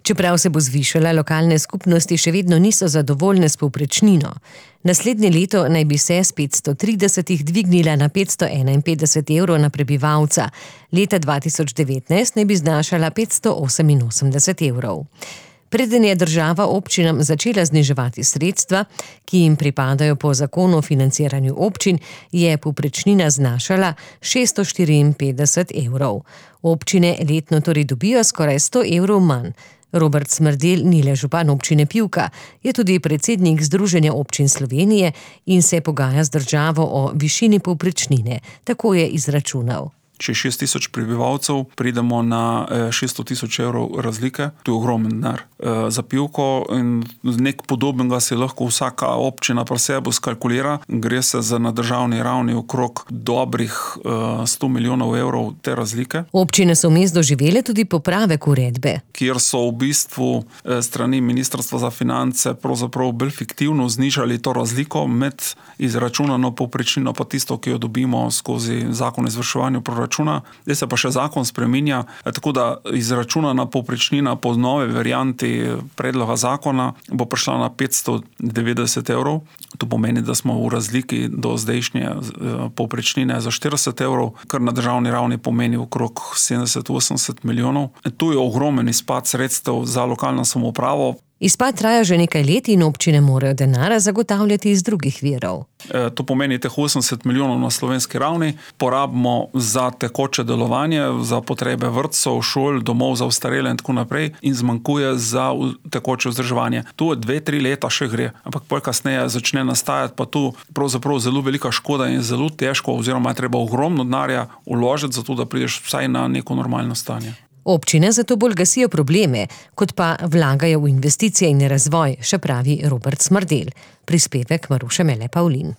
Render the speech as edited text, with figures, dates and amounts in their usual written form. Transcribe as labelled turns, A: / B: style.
A: Čeprav se bo zvišala, lokalne skupnosti še vedno niso zadovoljne s povprečnino. Naslednje leto naj bi se s 530 dvignila na 551 evrov na prebivalca. Leta 2019 naj bi znašala 588 evrov. Preden je država občinam začela zniževati sredstva, ki jim pripadajo po zakonu o financiranju občin, je povprečnina znašala 654 evrov. Občine letno torej dobijo skoraj 100 evrov manj. Robert Smrdelj ni le župan občine Pivka, je tudi predsednik Združenja občin Slovenije in se pogaja z državo o višini povprečnine. Tako je izračunal.
B: Če 6 tisoč prebivalcev, pridemo na 600 tisoč evrov razlike. To je ogromen denar za Pivko in nek podobnega se lahko vsaka občina pri sebi skalkulira. Gre se za na državni ravni okrog dobrih 100 milijonov evrov te razlike.
A: Občine so vmes doživele tudi popravek uredbe,
B: kjer so v bistvu strani Ministrstva za finance pravzaprav bolj fiktivno znižali to razliko med izračunano povprečnino pa tisto, ki jo dobimo skozi zakon o izvrševanju proračuna. Zdaj se pa še zakon spreminja, tako da izračunana povprečnina po nove varianti predloga zakona bo prišla na 590 evrov. To pomeni, da smo v razliki do zdajšnje povprečnine za 40 evrov, kar na državni ravni pomeni okrog 70-80 milijonov. To je ogromen izpad sredstev za lokalno samoupravo.
A: Izpad traja že nekaj let in občine morajo denar zagotavljati iz drugih virov.
B: To pomeni teh 80 milijonov na slovenski ravni porabimo za tekoče delovanje, za potrebe vrtcev, šol, domov za ostarele in tako naprej in zmanjkuje za tekoče vzdrževanje. Tu 2-3 leta še gre, ampak pol kasneje začne nastajati pa tu pravzaprav zelo velika škoda in zelo težko oziroma je treba ogromno denarja vložiti za to, da prideš vsaj na neko normalno stanje.
A: Občine zato bolj gasijo probleme, kot pa vlagajo v investicije in razvoj, še pravi Robert Smrdelj. Prispevek Maruše Mele Pavlin.